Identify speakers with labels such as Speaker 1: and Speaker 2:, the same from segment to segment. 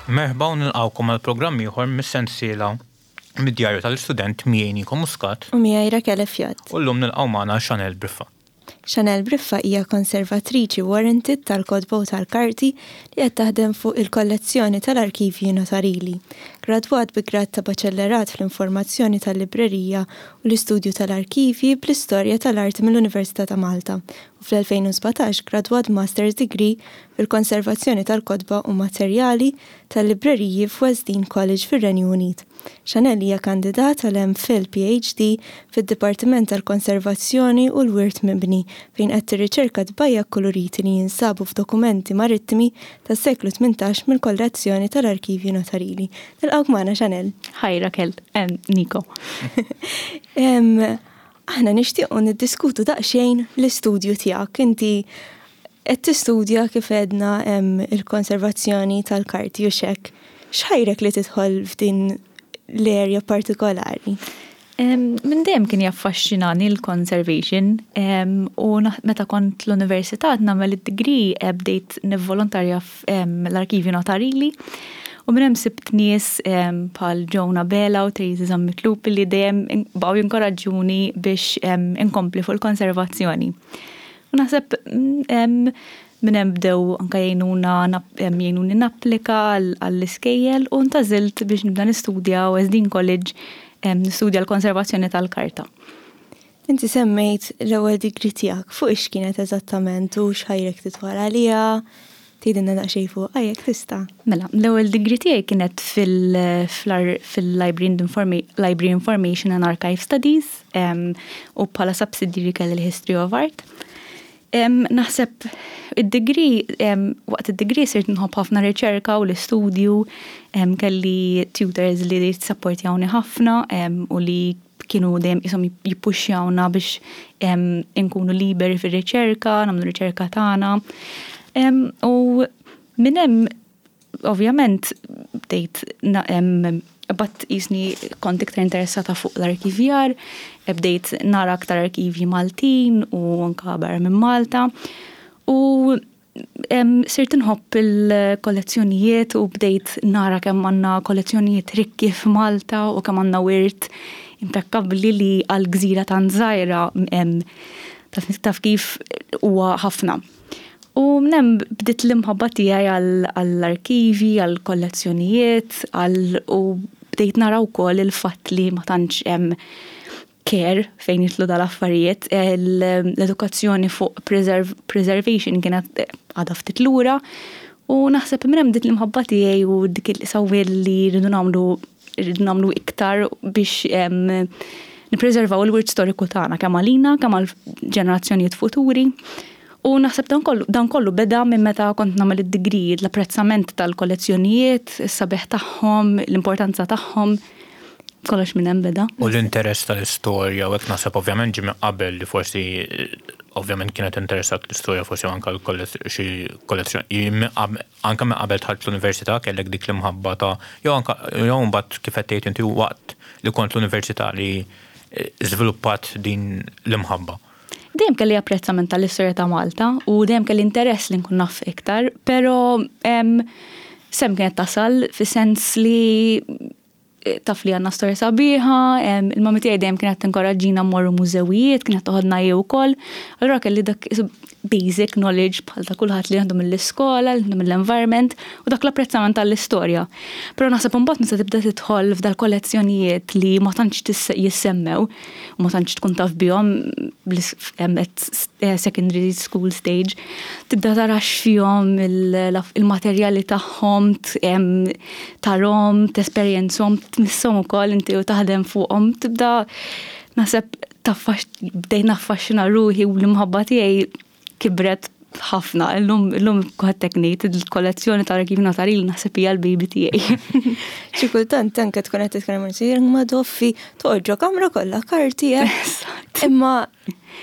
Speaker 1: Merħba u nilqgħukom għal programm ieħor mis-sensiela mid-djarju tal-istudent miegħi Nico Muscat.
Speaker 2: U miegħi Raquel Fjat.
Speaker 1: U llum nilqgħu magħna Chanel Briffa.
Speaker 2: Chanel Briffa hija konservatriċi warranted tal-kotba u tal-karti li qed taħdem fuq il-kollezzjoni tal-Arkivji Notarili. Gradwat bi grad ta' Baċellerat fl-Informazzjoni tal-Librerija u l-Istudju tal-Arkivji bl-Istorja tal-Arti mill-Università ta' Malta u fl-2017 gradwat b'Master's Degree fil-Konservazzjoni tal-Kotba u Materjali tal-Libreriji f'West Dean College fir-Renju Unit. Chanel hija kandidat għal MPhil PhD fid-Dipartiment tal-Konservazzjoni u l-Wirt Mibni fejn qed tirriċerka tbajja' kkuluriti li jinsabu f'dokumenti marittimi tas-seklu 18 mill-kollezzjoni tal-Arkivji Notarili. Nilqgħuk magħna Chanel.
Speaker 3: Hi Raquel, Nico.
Speaker 2: Aħna nixtiequ niddiskutu daqsxejn l-istudju tiegħek. Inti qed tistudja kif għedna il-konservazzjoni tal-karti u x'hekk. X'ħajrek li tidħol f'din l-area partikolari?
Speaker 3: Minn dejjem kien jaffaxxinani l-conservation u meta kont l-università nagħmel id-degree eh, bdejt nivvolontarja fl-arkivju notarili u minn hemm sibt nies bħal Joan Abela u Tracy Zammit Lupi li dejjem baqgħu jinkoraġġuni biex inkompli fuq il-konservazzjoni. U naħseb minn hemm bdew anke jgħinuna jgħinuni napplika għall-iskejjel u ntgħażilt biex nibda nistudja West Dean College nistudja l-konservazzjoni tal-karta.
Speaker 2: Inti semmejt l-ewwel degree tiegħek, fuq ix kienet eżattament u x'ħajrek tidħol għaliha? Tgħidilna daqsxejn fuqha jekk tista'.
Speaker 3: Mela, l-ewwel degree tiegħi kienet fil-Library Information and Archive Studies u bħala subsidiary kelli l-History of Art. Naħseb id-degree, waqt id-degree sirt nħobb ħafna riċerka u l-istudju, kelli tutors li sapportjawni ħafna u li kienu dejjem qishom jippuxxjawna biex inkunu liberi fir-riċerka, nagħmlu riċerka tagħna. U minn hemm ovvjament bdejt bat qisni kont iktar interessata fuq l-arkivjar, bdejt nara aktar arkivji Maltin u anka barra minn Malta. U Sirt inħobb il-kollezzjonijiet u bdejt nara kemm għandna kollezzjonijiet rikki f'Malta u kemm għandna wirt impekkabbli li għal gżira tant żgħira taf kif huwa ħafna. U minn hemm bdiet l-imħabba tiegħi għall-arkivji, għall-kollezzjonijiet, għal u bdejt nara wkoll il-fatt li ma tantx hemm care fejn jidħlu dal-affarijiet, l-edukazzjoni fuq preservation kienet għadha ftit lura u naħseb minn hemm bdiet l-imħabba tiegħi u dik il-sawwil li rridu nagħmlu rridu nagħmlu iktar biex nippreservaw il-wirt storiku tagħna kemm għalina kemm għal ġenerazzjonijiet futuri. U naħseb dan kollu, dan kollu beda minn meta kont nagħmel id-degree, l-apprezzament tal-kollezzjonijiet, is-sabiħ tagħhom, l-importanza tagħhom. Kollox minn hemm beda.
Speaker 1: U l-interess tal-istorja u hekk naħseb ovvjament ġie minn qabel li forsi ovvjament kienet interessat l-istorja forsi anke xi kollezzjoni anke minn qabel dħalt l-università kellek dik l-imħabba ta' jew anke jew mbagħad kif qed tgħid inti waqt li kont l-università li żviluppat din l-imħabba.
Speaker 3: Dejjem kelli apprezzament tal-istorja ta' Malta u dejjem kelli interess li nkun naf iktar, però sem kienet tasal fis-sens li taf li għandna storja sabiħa, il-mami tiegħi dejjem kienet tinkoraġġina mmorru mużewijiet, kienet toħodna hi wkoll. Allura kelli dak basic knowledge bħal ta' kulħadd li għandu mill-iskola, li għandu mill-environment u dak l-apprezzament tal-istorja. Però naħseb imbagħad meta tibda tidħol f'dal-kollezzjonijiet li ma tantx jissemmew u ma tantx tkun taf bihom at secondary school stage, tibda tara x'fihom il-materjali tagħhom, tarhom, tesperjenzhom, tmisshom ukoll inti u taħdem fuqhom, tibda naħseb bdejt naffaxxina ruħi u l-imħabba tiegħi kibret ħafna. Illum illum ħadd ngħid il-kollezzjoni tal-arkivju notarili naħseb hija l-baby tiegħi.
Speaker 2: Xi kultant anke tkun qed titkellem ma' ma doffi toqgħod ġo kamra kollha karti. Eh. Imma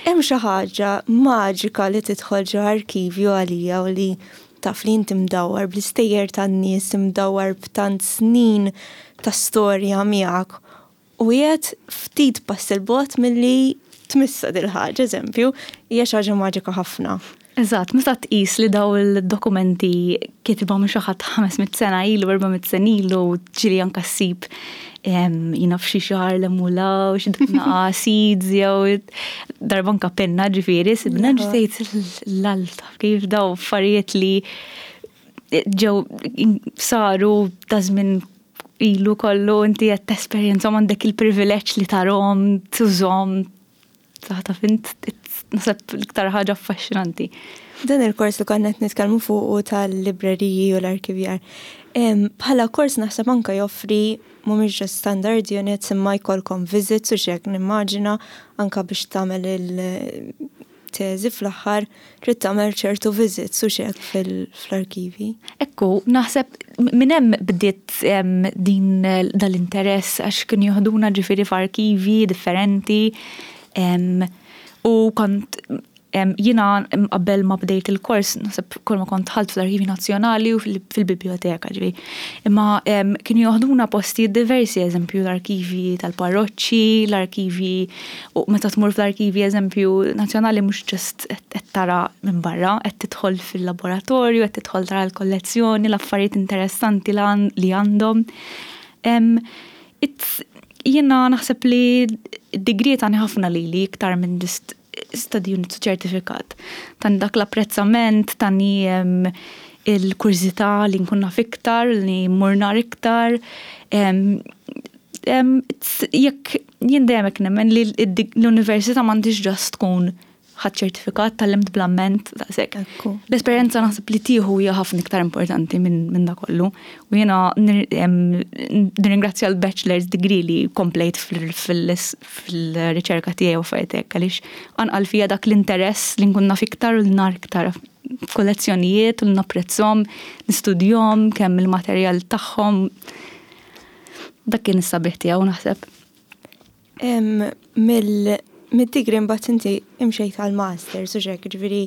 Speaker 2: hemm xi ħaġa maġika li tidħol ġo arkivju għalija u li taf li inti mdawwar bl-istejjer tan-nies, mdawwar b'tant snin ta' storja miegħek u qiegħed ftit pass 'il bogħod milli tmissha dil-ħaġa, eżempju, hija xi ħaġa maġika ħafna.
Speaker 3: Eżatt, meta tqis li daw il-dokumenti kitibhom xi ħadd 500 sena ilu, 400 sena ilu, ġieli anka ssib jina f'xi xahar li mula u xi naqa seeds jew darba anka penna ġifieri, sibna ġtejt l-alta kif daw affarijiet li ġew saru ta' żmien ilu kollu inti qed tesperjenzhom għandek il-privileġġ li tarhom, tużhom, Taf int, naħseb l-iktar ħaġa affaxxinanti.
Speaker 2: Dan il-kors li konna qed nitkellmu fuqu tal-libreriji u l-arkivjar. Bħala kors naħseb anke joffri mhumiex just standard units imma jkollkom visits u x'hekk nimmaġina anke biex tagħmel il-teżi fl-aħħar trid tagħmel ċertu visits u x'hekk fl-arkivi.
Speaker 3: Ekku, naħseb minn hemm bdiet din dal-interess għax kienu joħduna ġifieri f'arkivi differenti u kont jiena qabel ma bdejt il-kors naħseb kull ma kont dħalt fl-Arkivi Nazzjonali u fil-biblioteka ġifieri. Imma kienu joħduna postijiet diversi, eżempju l-arkivi tal-parroċċi, l-arkivi U meta tmur fl-arkivi eżempju nazzjonali mhux ġust qed tara minn barra, qed tidħol fil-laboratorju, qed tidħol tara l-kollezzjoni, l-affarijiet interessanti li għandhom. Jiena naħseb li d-degree tani ħafna lili iktar minn just study unit u ċertifikat. Tani dak l-apprezzament, tani il-kurżità li nkun naf iktar, li mmur nar iktar. Jekk jien dejjem hekk nemmen li l-università m'għandhiex ġast tkun ħadd ċertifikat tgħallimt bl-amment daqshekk. L-esperjenza naħseb li tieħu hija ħafna iktar importanti minn da kollu. U jiena nirringrazzja l-bachelor's degree li komplejt fil-riċerka tiegħi u affarijiet hekk għaliex anqal fija dak l-interess li nkun naf iktar u nar iktar kollezzjonijiet u napprezzhom, nistudjhom kemm il-materjal tagħhom. Dak kien is-sabiħ tiegħu naħseb.
Speaker 2: Mid-degree mbagħad inti imxejt għal masters u xek, ġifieri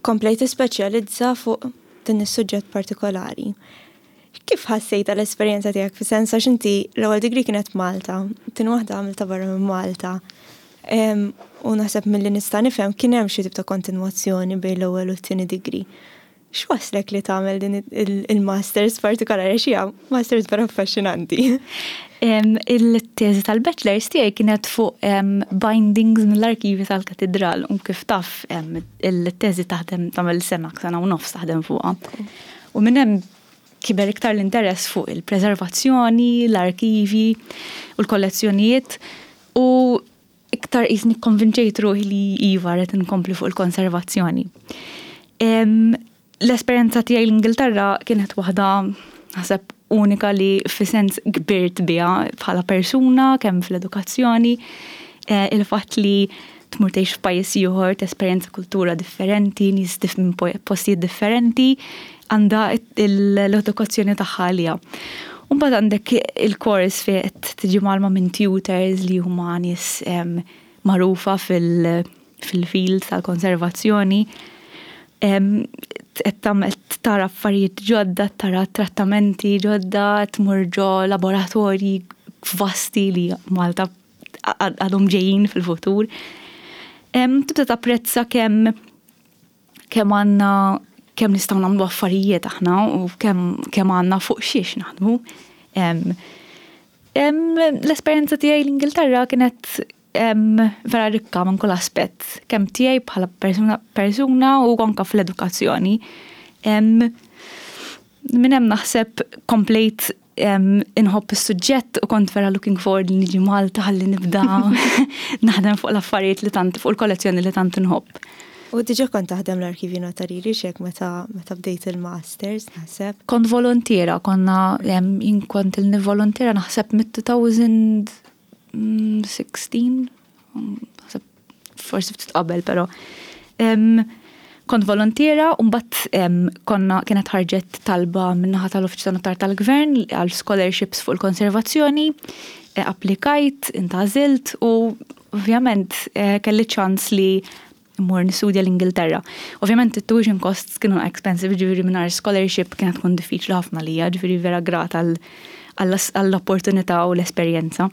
Speaker 2: komplejt tispeċjalizza fuq din is-suġġett partikolari. Kif ħassejt l-esperjenza tiegħek fi sens għax inti l-ewwel degree kienet Malta, tieni waħda għamilta barra minn Malta. U naħseb milli nista' nifhem kien hemm xi tip ta' kontinwazzjoni bejn l-ewwel u t-tieni degree. X'waslek li tagħmel din il-masters partikolari għax hija masters vera affaxxinanti.
Speaker 3: Il-teżi tal-bachelors tiegħi kienet fuq bindings mill-arkivi tal-katidral u kif taf il-teżi taħdem tagħmel sena, sena u nofs taħdem fuqha. U minn hemm kiber iktar l-interess fuq il-preservazzjoni, l-arkivi u l-kollezzjonijiet u iktar qisni kkonvinċejt ruħi li iva rrid inkompli fuq il-konservazzjoni. L-esperjenza tiegħi l-Ingilterra kienet waħda naħseb unika li fi sens kbirt biha bħala persuna kemm fl-edukazzjoni, eh, il-fatt li tmur tgħix f'pajjiż ieħor, tesperjenza kultura differenti, nies minn postijiet differenti, għandha l-edukazzjoni tagħha għaliha. U mbagħad għandek il-kors fejn qed tiġi mgħallma minn tutors li huma nies magħrufa fil-field tal-konservazzjoni. Qed tara affarijiet ġodda, tara trattamenti ġodda, tmur ġo laboratorji vasti li Malta għadhom ġejjin fil-futur. Tibda tapprezza kemm kemm għandna kemm nistgħu nagħmlu affarijiet aħna u kemm kemm għandna fuq xiex naħdmu. L-esperjenza tiegħi l-Ingilterra kienet vera rikka minn kull aspett, kemm tiegħi bħala persuna, persuna u anke fl-edukazzjoni. Minn hemm naħseb komplejt inħobb is-suġġett u kont vera looking forward li niġi Malta ħalli nibda naħdem fuq l-affarijiet li tant fuq il-kollezzjoni li tant inħobb.
Speaker 2: U diġa kont taħdem l-arkivju notarili xek meta meta bdejt il-masters, naħseb.
Speaker 3: Kont volontiera, konna jien kont il-volontiera naħseb mit-2016 naħseb forsi ftit qabel però. Kont volontiera u mbagħad konna kienet ħarġet talba min-naħa tal-Uffiċċju tan-Notar tal-Gvern għal scholarships fuq il-konservazzjoni, e, applikajt, intgħażilt u ovvjament e, kelli ċans li mmur nistudja l-Ingilterra. Ovvjament it-tuition costs kienu expensive, ġifieri mingħajr scholarship kienet tkun diffiċli ħafna lija, ġifieri vera grata għall-opportunità u l-esperjenza.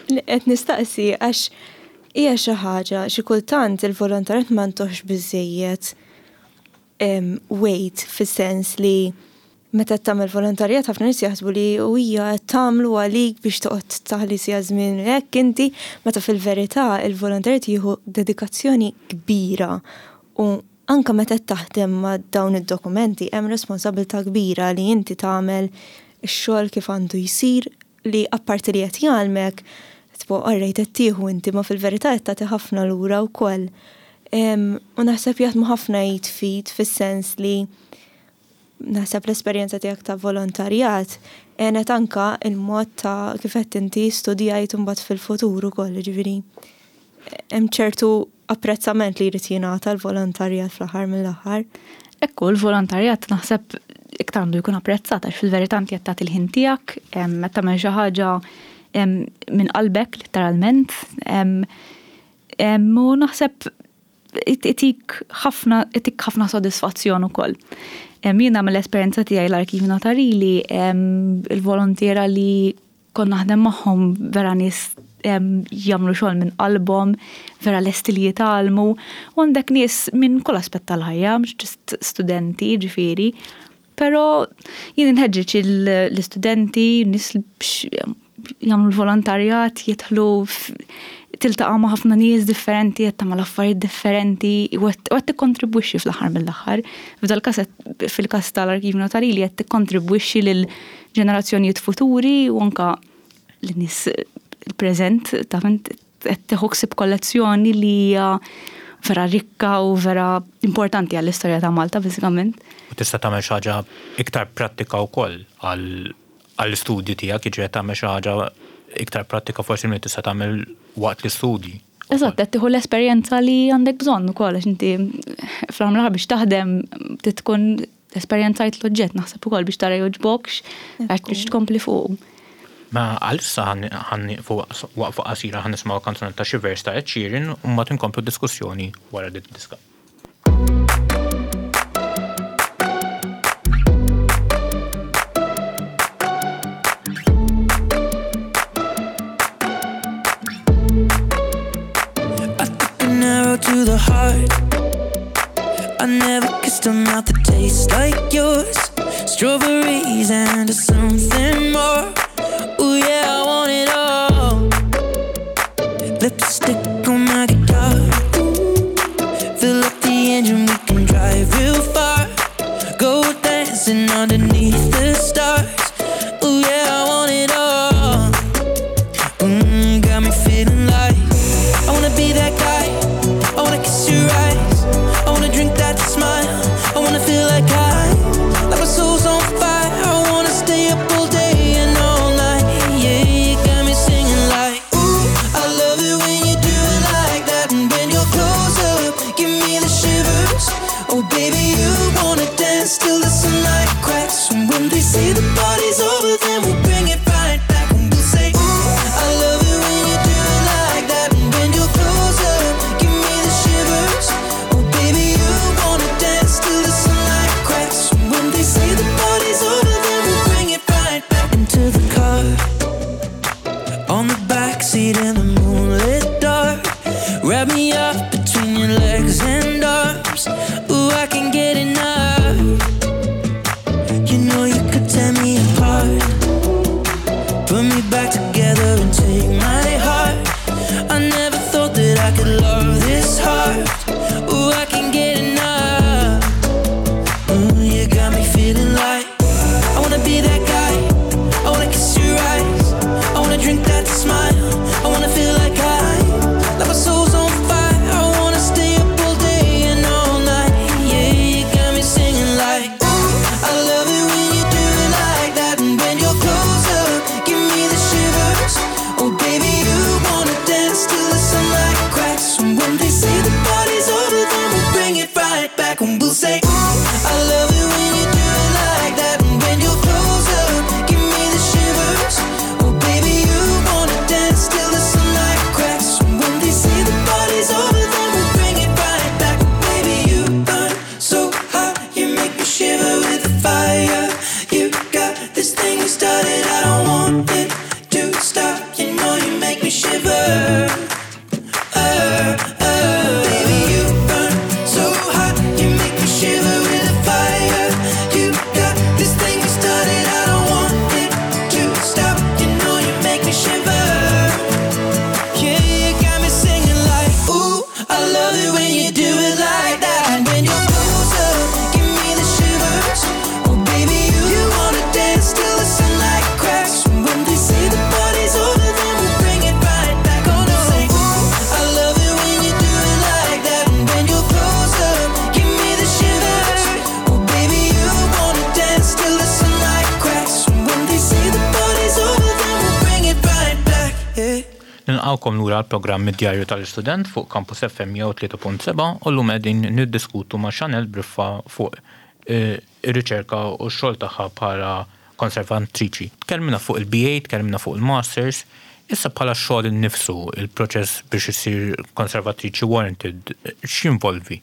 Speaker 2: Qed nistaqsi għax. Hija xi ħaġa xi kultant il-volontarjat ma ntuhx biżżejjed weight fis-sens li meta tagħmel volontarjat ħafna nies jaħsbu li u hija qed tagħmlu għalik biex toqgħod taħli siegħa żmien hekk inti, meta fil-verità il-volontarjat jieħu dedikazzjoni kbira u anke meta qed taħdem ma' dawn id-dokumenti hemm responsabilità kbira li inti tagħmel ix-xogħol kif għandu jsir li apparti li qed jgħallmek, tipo alright qed tieħu inti ma fil-verità qed tagħti ħafna lura wkoll. U naħseb jaħdmu ħafna id f'id fis-sens li naħseb l-esperjenza tiegħek ta' volontarjat għenet anka il-mod ta' kif qed inti studjajt imbagħad fil-futur ukoll, jiġifieri hemm ċertu apprezzament li jrid jingħata l-volontarjat fl-aħħar mill-aħħar.
Speaker 3: Ekku, l-volontarjat naħseb iktar għandu jkun apprezzat għax fil-verità inti qed tagħti l-ħin tiegħek, qed tagħmel xi ħaġa minn qalbek letteralment. U naħseb itik ħafna itik ħafna sodisfazzjon ukoll. Jiena mill-esperjenza tiegħi l-Arkivju Notarili, il-volontiera li kont naħdem magħhom vera nies jagħmlu xogħol minn qalbhom, vera lesti li jitgħallmu, u għandek nies minn kull aspett tal-ħajja, mhux ġust studenti ġifieri. Però jien inħeġġeġ l-istudenti, nies biex jagħmlu l-volontarjat, jidħlu tiltaqa' ma' ħafna nies differenti, qed tagħmel affarijiet differenti u qed tikkontribwixxi fl-aħħar mill-aħħar. F'dal-każ fil-każ tal-Arkivju Notarili qed tikkontribwixxi lil ġenerazzjonijiet futuri u anka lin-nies il-preżent taf int qed tieħu ħsieb kollezzjoni li hija vera rikka u vera importanti għall-istorja ta' Malta bażikament.
Speaker 1: U tista' tagħmel xi ħaġa iktar prattika wkoll għall-istudji tiegħek, jiġifieri qed tagħmel xi ħaġa iktar prattika forsi milli tista' tagħmel waqt l-istudji.
Speaker 3: Eżatt, qed tieħu l-esperjenza li għandek bżonn ukoll għax inti fl-aħħar mill-aħħar biex taħdem trid tkun Esperjenzajt l-oġġett naħseb ukoll biex tara jogħġbokx għax biex tkompli fuqu.
Speaker 1: Ma għalissa ħa nieqfu waqfa qasira ħa nisimgħu kanzunetta Shivers ta' Ed Sheeran u mbagħad inkomplu d-diskussjoni wara din id-diska.
Speaker 4: I took an arrow to the heart I never kissed a mouth that tastes like yours Strawberries and something more Ooh yeah, I want it all Lipstick on my guitar Fill up the engine, we can drive real far Go dancing underneath the stars Ooh yeah, I want it all mm, Got me feeling like I wanna be that guy I wanna kiss your eyes I wanna drink that smile I wanna feel like I Like my soul's on fire I wanna stay up all day and all night Yeah, you got me singing like Ooh, I love it when you do it like that And when you're close up, give me the shivers Oh baby, you wanna dance till the sunlight cracks And when they say the party's over, then we'll bring it right back And we'll say, ooh, I love it when you do it like that And when you're close up, give me the shivers Oh baby, you wanna dance till the sunlight cracks And when they say the party's over, then we'll bring it right back Into the car On the backseat in the moonlit dark Wrap me up between your legs and arms Ooh, I can get enough You know you could tear me apart Put me back together and take my heart I never thought that I could love this hard Ooh, I can get enough Ooh, you got me feeling like I wanna be that guy I wanna kiss your eyes I wanna drink that smile I wanna feel like I Like my soul's on fire I wanna stay up all day and all night Yeah, you got me singing like Ooh, I love it when you do it like that And when you're close up, give me the shivers Oh baby, you wanna dance till the sunlight cracks And when they say the party's over, then we'll bring it right back And we'll say, ooh, I love it when you do it like that And when you're close up
Speaker 1: Nilqgħukom lura għall-programm Id-Djarju tal-Istudent fuq Campus FM 103.7 u llum qegħdin niddiskutu ma' Chanel Briffa fuq ir-riċerka u x-xogħol tagħha bħala konservatriċi. Tkellimna fuq il-BA, tkellimna fuq il-Masters, issa bħala x-xogħol innifsu, il-proċess biex issir konservatriċi warranted, x'jinvolvi?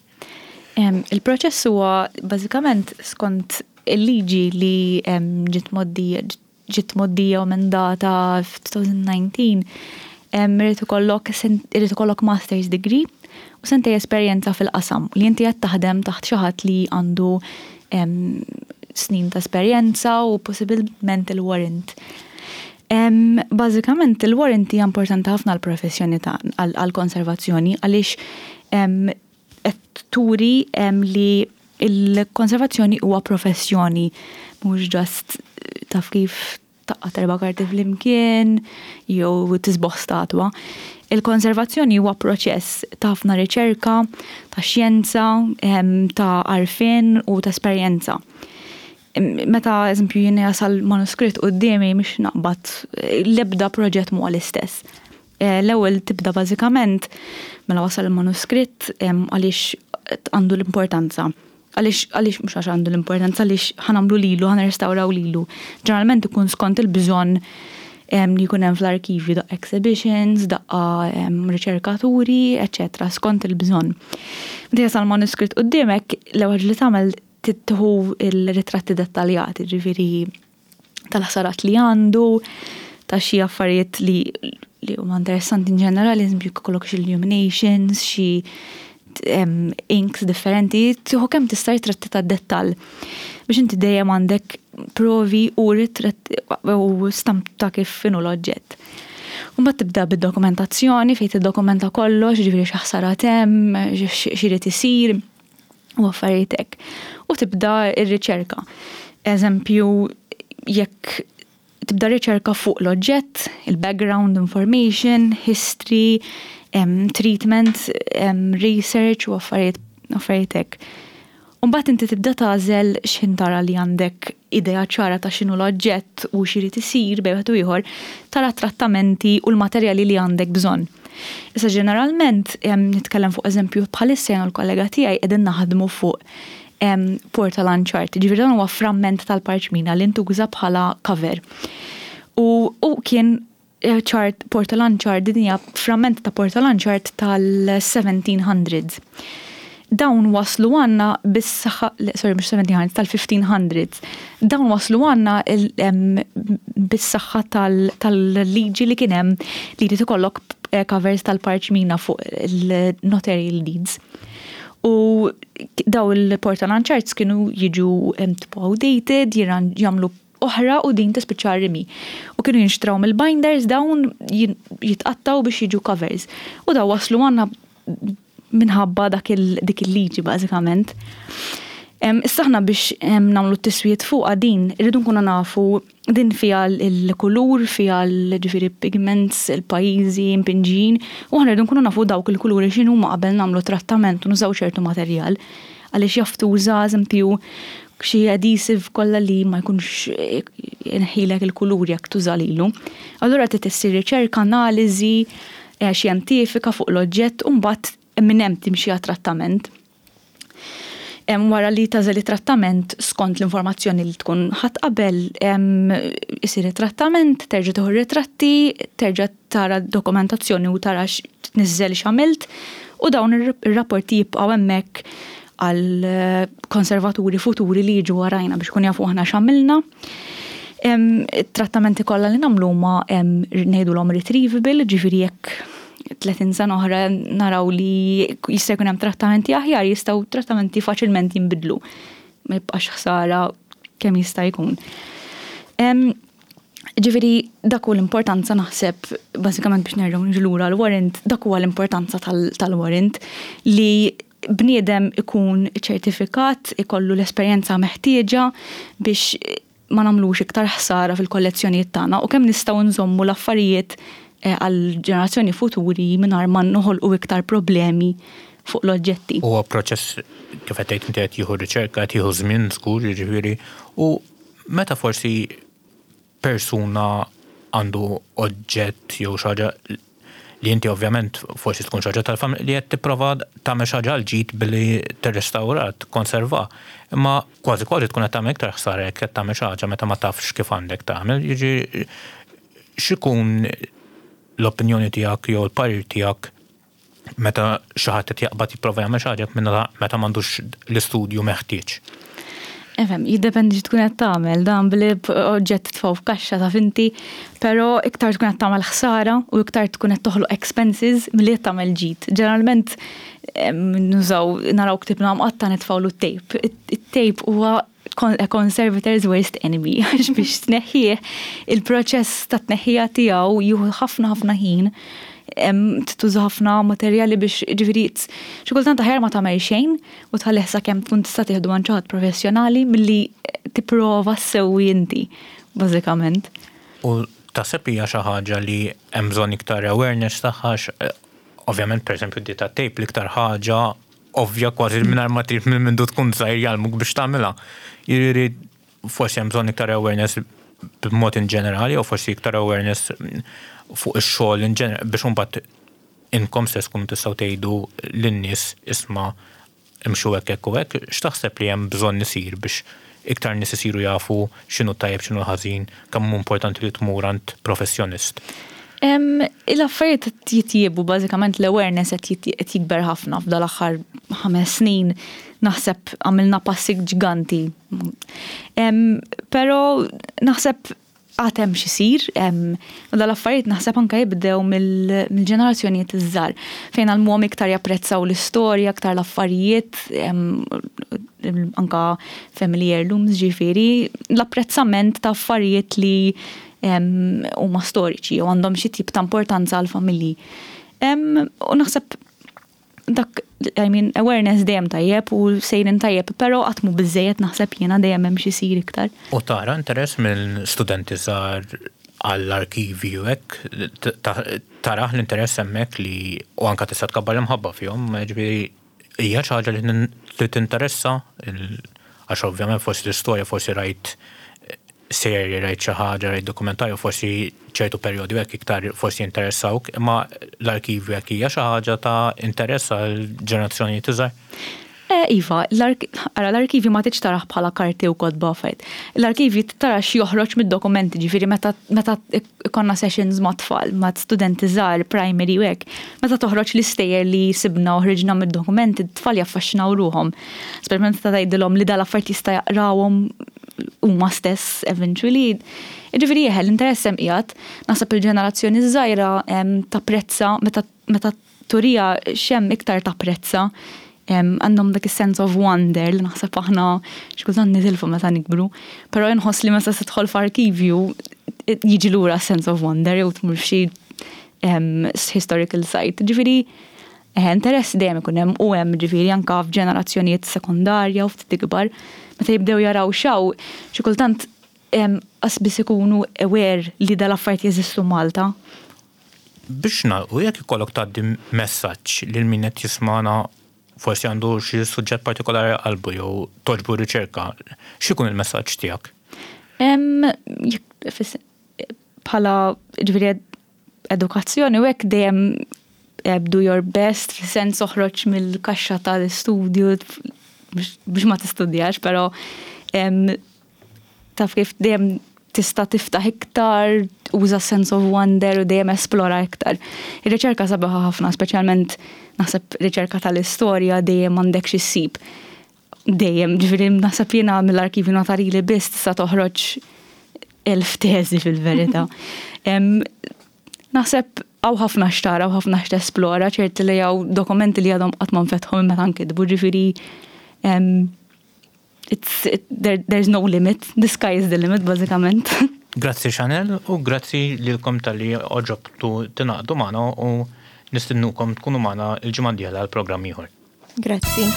Speaker 3: Il-proċess huwa bażikament skont il-liġi li ġiet mgħoddija ġiet mgħoddija u emendata f'2019, irid ikollok irid ikollok master's degree u sentej esperjenza fil-qasam li inti qed taħdem taħt xi ħadd li għandu snin ta' esperjenza u possibilment il-warrant. Bażikament il-warrant hija importanti ħafna għall-professjoni ta' għall-konservazzjoni għaliex qed turi li l-konservazzjoni huwa professjoni, mhux just taf kif taqgħad erba' karti flimkien jew tisboħ statwa. Il-konservazzjoni huwa proċess ta' ħafna riċerka, ta' xjenza, ta' għarfien u ta' esperjenza. Meta eżempju jien jasal manuskritt quddiemi mhix naqbad l-ebda proġett mhuwa l-istess. L-ewwel tibda bażikament mela wasal il-manuskritt għaliex għandu l-importanza. Għaliex għaliex mhux għax għandu l-importanza għaliex ħa nagħmlu lilu, ħa nirrestawraw lilu. Ġeneralment ikun skont il-bżonn li jkun hemm fl-arkivju daqqa exhibitions, daqqa riċerkaturi, eċċetera, skont il-bżonn. Meta jasal manuskritt quddiemek, l-ewwel ħaġa li tagħmel tieħu l-ritratti dettaljati, ġifieri tal-ħsarat li għandu, ta' xi affarijiet li li huma interessanti in ġenerali, eżempju jkollok xi illuminations, xi inks differenti, tieħu kemm tista' ritratti ta' dettall biex inti dejjem għandek provi u ritratti u stamp ta' kif inhu l-oġġett. U mbagħad tibda bid-dokumentazzjoni fejn tiddokumenta kollox, jiġifieri xi ħsarat hemm, x'irid isir. u affarijiet hekk. U tibda r-riċerka. Eżempju, jekk tibda riċerka fuq l-oġġett, il-background information, history, treatment, research u affarijiet affarijiet hekk. U mbagħad inti tibda tagħżel x'ħin tara li għandek idea ċara ta' x'inhu l-oġġett u x'irid isir bejn wieħed u ieħor, tara t-trattamenti u l-materjali li għandek bżonn. Issa ġeneralment, nitkellem fuq eżempju bħalissa jien u l-kollega tiegħi qegħdin naħdmu fuq portolan chart, ġifieri dan huwa framment tal-parċmina li ntuża bħala cover. U u kien eh, chart, portolan chart, din hija framment ta' portolan chart tal-1700s. Dawn waslu għandna bis-saħħa, sorry mhux 1700s, tal-1500s. Dawn waslu għandna bis-saħħa tal-liġi li kien hemm li jrid ikollok eh, covers tal-parċmina fuq il-notarial deeds. U daw il-portalan charts kienu jiġu tipo outdated, jagħmlu oħra u din tispiċċa rimi. U kienu jinxtraw mill-binders dawn jitqattaw biex jiġu covers. U daw waslu għandna minħabba dak dik il-liġi bażikament. Issa aħna biex nagħmlu t-tiswijiet fuqha din, irridu nkunu nafu din fiha l-kulur, fiha ġifieri pigments, il-pajjiżi, impinġijin, u aħna rridu nkunu nafu dawk il-kuluri x'inhuma qabel nagħmlu trattament u nużaw ċertu materjal. Għaliex jaf tuża eżempju xi adhesive kollha li ma jkunx inħilek il-kulur jekk tuża lilu. Allura trid issir riċerka, analiżi, xjentifika fuq l-oġġett u mbagħad minn hemm timxi għat-trattament. Wara li tagħżel it-trattament skont l-informazzjoni li tkun ħadt qabel, isir it-trattament, terġa' tieħu r-ritratti, terġa' tara d-dokumentazzjoni u tara tniżżel x'għamilt u dawn ir-rapporti jibqgħu hemmhekk għal konservaturi futuri li jiġu warajna biex ikunu jafu aħna x'għamilna. It-trattamenti kollha li nagħmlu huma ngħidulhom retrievable, ġifieri jekk 30 sena oħra naraw li jista' jkun hemm trattamenti aħjar, jistgħu trattamenti faċilment jinbidlu. Ma jibqax ħsara kemm jista' jkun. Ġifieri dak hu l-importanza naħseb bażikament biex nerġgħu niġu lura l-warrant, dak huwa l-importanza tal-warrant li bniedem ikun ċertifikat, ikollu l-esperjenza meħtieġa biex ma nagħmlux iktar ħsara fil-kollezzjonijiet tagħna u kemm nistgħu nżommu l-affarijiet eh, għal ġenerazzjoni futuri mingħajr ma noħolqu iktar problemi fuq l-oġġetti.
Speaker 1: Huwa proċess kif qed tgħid inti qed jieħu riċerka, qed jieħu żmien żgur, jiġifieri, u meta forsi persuna għandu oġġett jew xi ħaġa. Li inti ovvjament forsi tkun xi ħaġa tal-familja li qed tipprova tagħmel xi ħaġa għall-ġid billi tirrestawra, tikkonserva. Imma kważi kważi tkun qed tagħmel iktar ħsara jekk qed tagħmel xi ħaġa meta ma tafx kif għandek tagħmel. Jiġifieri x'ikun l-opinjoni tiegħek jew l-parir tiegħek meta xi ħadd qed jaqbad jipprova jagħmel xi ħaġa meta m'għandux l-istudju meħtieġ?
Speaker 3: Efhem, jiddependi xi tkun qed tagħmel, dan billi oġġett titfgħu f'kaxxa taf inti, però iktar tkun qed tagħmel ħsara u iktar tkun qed toħloq expenses milli qed tagħmel ġid. Ġeneralment nużaw naraw ktibna mqatta' nitfgħulu t-tape. It-tape huwa a conservator's worst enemy għax biex tneħħih il-proċess ta' tneħħija tiegħu jieħu ħafna ħafna ħin tuża ħafna materjali biex ġifieri xi kultant aħjar ma tagħmel xejn u tħallih sakemm tkun tista' tieħdu għand xi ħadd professjonali milli tipprova ssewwi inti bażikament.
Speaker 1: U taħseb hija xi ħaġa li hemm bżonn iktar awareness tagħha ovvjament pereżempju di tat-tape l-iktar ħaġa ovvja kważi mingħajr ma trid minn mindu tkun żgħir jgħallmuk biex tagħmilha. Jiġifieri forsi hemm bżonn iktar awareness b'mod in ġenerali u forsi iktar awareness fuq ix-xogħol in ġenerali biex imbagħad inkom stess tkunu tistgħu tgħidu lin-nies isma' imxu hekk hekk u hekk, x'taħseb li hemm bżonn isir biex iktar nies isiru jafu x'inhu tajjeb x'inhu ħażin, kemm hu importanti li tmur għand professjonist?
Speaker 3: Il-affarijiet qed jitjiebu bażikament l-awareness qed jikber ħafna f'dal-aħħar 5 snin naħseb għamilna passi ġganti. Però naħseb għad hemm x'isir, u dal-affarijiet naħseb anke jibdew mill-ġenerazzjonijiet iż-żgħar fejn għallmuhom iktar japprezzaw l-istorja, iktar l-affarijiet, anka family heirlooms ġifieri, l-apprezzament ta' affarijiet li huma storiċi u għandhom xi tip ta' importanza għall-familji. U naħseb dak, I mean, awareness dejjem tajjeb u sejrin tajjeb, però qatt mhu biżejjed naħseb jiena dejjem hemm xi jsir iktar.
Speaker 1: U tara interess minn studenti żgħar għall-arkivi u hekk, tarah l-interess hemmhekk li u anke tista' tkabbar l-imħabba fihom, ġifieri hija xi ħaġa li tinteressa għax ovvjament forsi l-istorja forsi rajt serje, rajt xi ħaġa, rajt dokumentarju, forsi ċertu perjodi hekk iktar forsi jinteressawk, imma l-arkivju hekk hija xi ħaġa ta' interess għal ġenerazzjonijiet iżgħar?
Speaker 3: Iva, ara l-arkivju ma tridx tarah bħala karti u kotba affarijiet. L-arkivju tara x'joħroġ mid-dokumenti, ġifieri meta ikollna sessions ma' tfal, ma' studenti żgħar, primary u hekk, meta toħroġ l-istejjer li sibna u ħriġna mid-dokumenti, t-tfal jaffaxxinaw ruħhom. Speċjalment meta tgħidilhom li dal-affarijiet jista' jaqrawhom huma stess eventually. Ġifieri eħe, l-interess hemm qiegħed. Naħseb il-ġenerazzjoni żgħira tapprezza meta turija x'hemm iktar tapprezza. Għandhom dak is-sense of wonder li naħseb aħna xi kultant nitilfu meta nikbru. Però inħoss li meta tidħol f'arkivju jiġi lura sense of wonder jew tmur f'xi historical site. Ġifieri interess dejjem ikun hemm u hemm ġifieri anke f'ġenerazzjonijiet sekondarja u ftit ikbar meta jibdew jaraw xaw xi kultant qas biss ikunu aware li dal-affarijiet jeżistu Malta.
Speaker 1: Biex nagħlqu jekk ikollok tgħaddi messaġġ lil min qed jismagħna forsi għandu xi suġġett partikolari qalbu jew togħġbu riċerka, x'ikun il-messaġġ tiegħek?
Speaker 3: Bħala ġifieri edukazzjoni u hekk dejjem do your best, fis-sens oħroġ mill-kaxxa tal-istudju biex ma tistudjax, però taf kif dejjem tista' tiftaħ iktar, uża sense of wonder u dejjem esplora iktar. Ir-riċerka sabiħa ħafna, speċjalment naħseb riċerka tal-istorja dejjem għandek xi ssib. Dejjem, ġifieri naħseb jiena mill-arkivju notarili biss tista' toħroġ 1000 teżi fil-verità. Naħseb hawn ħafna x'tara u ħafna x'tesplora, ċerti li hawn dokumenti li għadhom qatt ma nfetħu minn meta nkitbu, ġifieri there's no limit, the sky is the limit, bażikament.
Speaker 1: Grazzi Chanel u grazzi lilkom talli għoġobtu tingħaqdu magħna u nistednukom tkunu magħna l-ġimgħa d-dieħla għal programm ieħor.
Speaker 2: Grazzi.